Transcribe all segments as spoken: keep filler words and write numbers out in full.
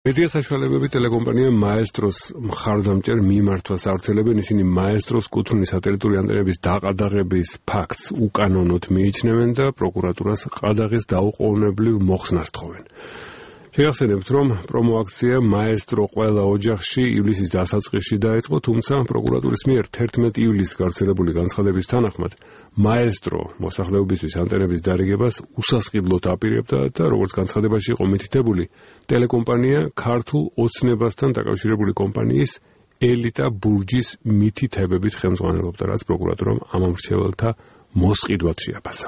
მედია საშუალებები ტელეკომპანია მაესტროს მხარდამჭერ მიმართვას ავრცელებენ, ისინი მაესტროს კუთვნილი სატელიტური ანტენების დაყადაღების ფაქტს უკანონოდ მიიჩნევენ და პროკურატურას ყადაღის დაუყოვნებლივ მოხსნას თხოვენ. შეგახსენებთ, რომ პრომოაქცია მაესტრო ყველა ოჯახში ივლისის დასაწყისში დაიწყო, თუმცა პროკურატურის მიერ თერთმეტი ივლისს გავრცელებული განცხადების თანახმად მაესტრო მოსახლეობისთვის ანტენების დარიგებას უსასყიდლოდ აპირებდა და როგორც განცხადებაში იყო მითითებული, ტელეკომპანია ქართულ ოცნებასთან დაკავშირებული კომპანიის ელიტა ბურჯის მითითებებით ხელმძღვანელობდა, რაც პროკურატურამ ამ მრჩეველთა მოსყიდვად შეაფასა.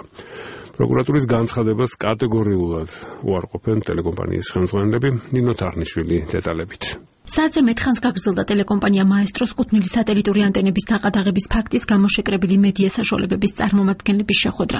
პროკურატურის განცხადებას კატეგორიულად უარყოფენ ტელეკომპანიის ხელმძღვანელები. ნინო თარხნიშვილი დეტალებით. საათზე მეტხანს გაგრძელდა ტელეკომპანია მაესტროს კუთვნილი სატელიტური ანტენების დაყადაღების ფაქტის გამოშეკრებილი მედია საშუალებების წარმომადგენლების შეხვედრა.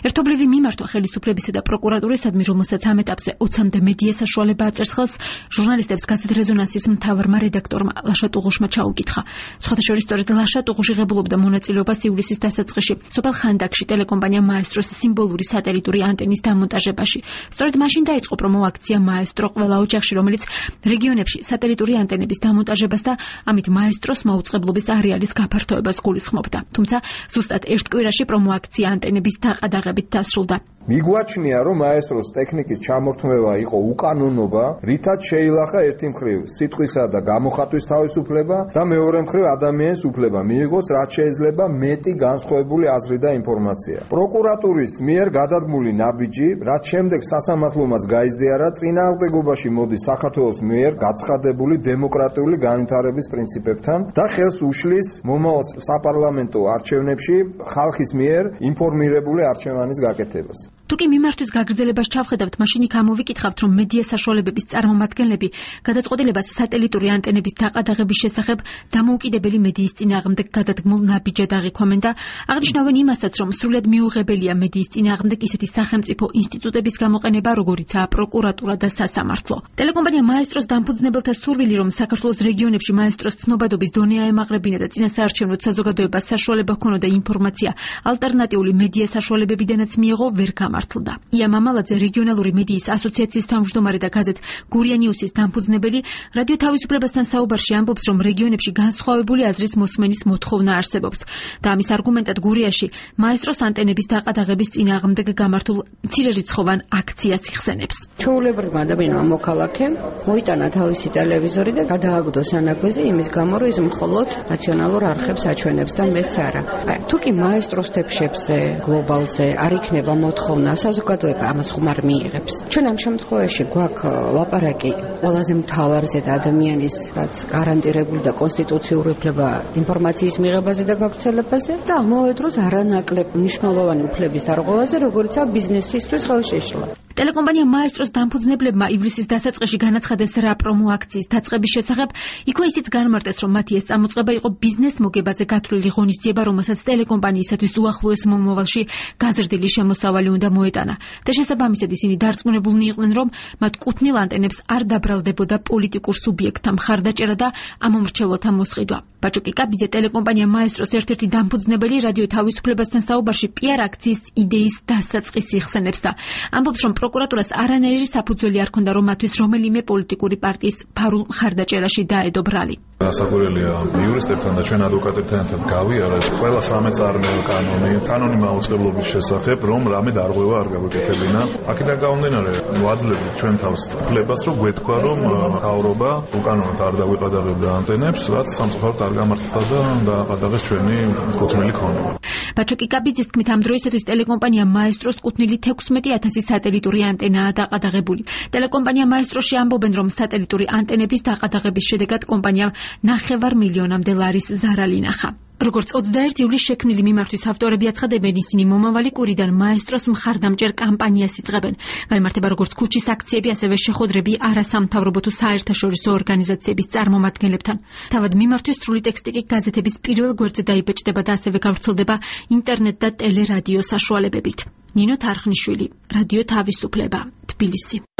ერთობლივი მიმართვა ხელისუფლებისა და პროკურატურისადმი, რომელსაც ამ ეტაპზე ოცამდე მედია საშუალება აწერს ხელს, ჟურნალისტებს გაზეთ რეზონანსის მთავარმა რედაქტორმა ლაშა ტუღუშმა ჩაუკითხა. სხვათა შორის სწორედ ლაშა ტუღუში ღებულობდა მონაწილეობას ივლისის დასაწყისში სოფელ ხანდაკში ტელეკომპანია მაესტროს სიმბოლური სატელიტური ანტენის დამონტაჟებაში. სწორედ მაშინ დაიწყო პრომოაქცია მაესტრო ყველა ოჯახში, რომელიც რეგიონებში სატელიტური ანტენების დამონტაჟებას და ამით მაესტროს მაუწყებლობის არეალის გაფართოებას გულისხმობდა. თუმცა ზუსტად ერთ კვირაში პრომოაქცია ანტენების დაყადაღებით დასრულდა. მიგვაჩნია, რომ მაესტროს ტექნიკის ჩამორთმევა იყო უკანონობა, რითაც შეილახა ერთი მხრივ სიტყვისა და გამოხატვის თავისუფლება და მეორე მხრივ ადამიანის უფლება მიიღოს რაც შეიძლება მეტი განსხვავებული აზრი და ინფორმაცია. პროკურატურის მიერ გადადგმული ნაბიჯი, რაც შემდეგ სასამართლომაც გაიზიარა, წინააღმდეგობაში მოდის საქართველოს მიერ გაცხადებული დემოკრატიული განვითარების პრინციპებთან და ხელს უშლის მომავალ საპარლამენტო არჩევნებში ხალხის მიერ ინფორმირებული არჩევანის გაკეთებას. თუკი მიმართვის გაგრძელებას ჩავხედავთ, მაშინ იქ ამოვიკითხავთ, რომ მედია საშუალებების წარმომადგენლები გადაწყვეტილებას სატელიტური ანტენების დაყადაღების შესახებ დამოუკიდებელი მედიის წინააღმდეგ გადადგმულ ნაბიჯად აღიქვამენ და აღნიშნავენ იმასაც, რომ სრულად მიუღებელია მედიის წინააღმდეგ ისეთი სახელმწიფო ინსტიტუტების გამოყენება, როგორიცაა პროკურატურა და სასამართლო. ტელეკომპანია მაესტროს დამფუძნებელთა სურვილი, რომ საქართველოს რეგიონებში მაესტროს ცნობადობის დონე აემაღრებინა და წინასაარჩევნო საზოგადოებას საშუალება ჰქონოდა ინფორმაცია ალტერნატიული მედია საშუალებებიდანაც მიეღო, ვერ გამართლდა. ია მამალაძე, რეგიონალური მედიის ასოციაციის თავმჯდომარე და გაზეთ გურია ნიუსის დამფუძნებელი, რადიო თავისუფლებასთან საუბარში ამბობს, რომ რეგიონებში განსხვავებული აზრის მოსმენის მოთხოვნა არსებობს და ამის არგუმენტად გურიაში მაესტროს ანტენების დაყადაღების წინააღმდეგ გამართულ მცირერიცხოვან აქციას იხსენებს. ჩვეულებრივმა ადამიანმა მოქალაქემ მოიტანა თავისი ტელევიზორი და გადააგდო სანაგვეზე იმის გამო, რომ ის მხოლოდ რაციონალურ არხებს აჩვენებს და მეც არა. თუ კი მაესტროს თეფშებზე, გლობალზე არ იქნება მოთხოვნა, საზოგადოება ამას ხუმარ მიიღებს. ჩვენ ამ შემთხვევაში გვაქვს ლაპარაკი ყველაზე მთავარზე და ადამიანის რაც გარანტირებული და კონსტიტუციური უფლება ინფორმაციის მიღებაზე და გავრცელებაზე და ამავე დროს არანაკლებ მნიშვნელოვანი უფლების დარღვევაზე, როგორიცაა ბიზნესისთვის ხელშეშლა. ტელეკომპანია მაესტროს დამფუძნებლებმა ივლისის დასაწყისში განაცხადეს რა პრომოაქციის დაწყების შესახებ, იქვე ისიც განმარტეს, რომ მათი ეს წამოწყება იყო ბიზნეს მოგებაზე გათვლილი ღონისძიება, რომელსაც ტელეკომპანიისათვის უახლოეს მომავალში გაზრდილი შემოსავალი უნდა მოეტანა. და შესაბამისად ისინი დარწმუნებულნი იყვნენ, რომ მათ კუთვნილ ანტენებს არ დაბრალდებოდა პოლიტიკურ სუბიექტთა მხარდაჭერა და ამომრჩეველთა მოსყიდვა. ბაჭოკი კაბიძე, ტელეკომპანია მაესტროს ერთ-ერთი დამფუძნებელი, რადიო თავისუფლებასთან საუბარში პიარ აქციის იდეის დასაწყისს იხსენებს და ამბობს, რომ პროკურატურას არანაირი საფუძველი არ ჰქონდა, რომ მათთვის რომელიმე პოლიტიკური პარტიის ფარულ მხარდაჭერაში დაედო ბრალი. ასაკურელია იურისტებთან და ჩვენ ადვოკატებთან ერთად გავიარეთ ყველა სამეწარმეო კანონი, კანონი მაუწყებლობის შესახებ, რომ რამე დარღვევა არ გაგვეკეთებინა. აქედან გამომდინარე, ვაძლევთ ჩვენ თავს უფლებას, რომ გვეთქვა, რომ მთავრობა უკანონოდ არ დაგვიყადაღებდა ანტენებს, რაც სამწუხაროდ არ გამართლდა და დააყადაღეს ჩვენი კუთვნილი ქონება. ბაჭოკი კაბიძის თქმით, ამ დროისათვის ტელეკომპანია მაესტროს კუთვნილი თექვსმეტი ათასი სატელიტური ანტენაა დაყადაღებული. ტელეკომპანია მაესტროში ამბობენ, რომ სატელიტური ანტენების დაყადაღების შედეგად კომპანიამ ნახევარ მილიონამდე ლარის ზარალი ნახა. როგორც ოცდაერთი ივლისს შექმნილი მიმართვის ავტორები აცხადებენ, ისინი მომავალი კვირიდან მაესტროს მხარდამჭერ კამპანიას იწყებენ. გაიმართება როგორც ქუჩის აქციები, ასევე შეხვედრები არასამთავრობო თუ საერთაშორისო ორგანიზაციების წარმომადგენლებთან. თავად მიმართვის სრული ტექსტი კი გაზეთების პირველ გვერდზე დაიბეჭდება და ასევე გავრცელდება ინტერნეტ და ტელერადიო საშუალებებით. ნინო თარხნიშვილი, რადიო თავისუფლება, თბილისი.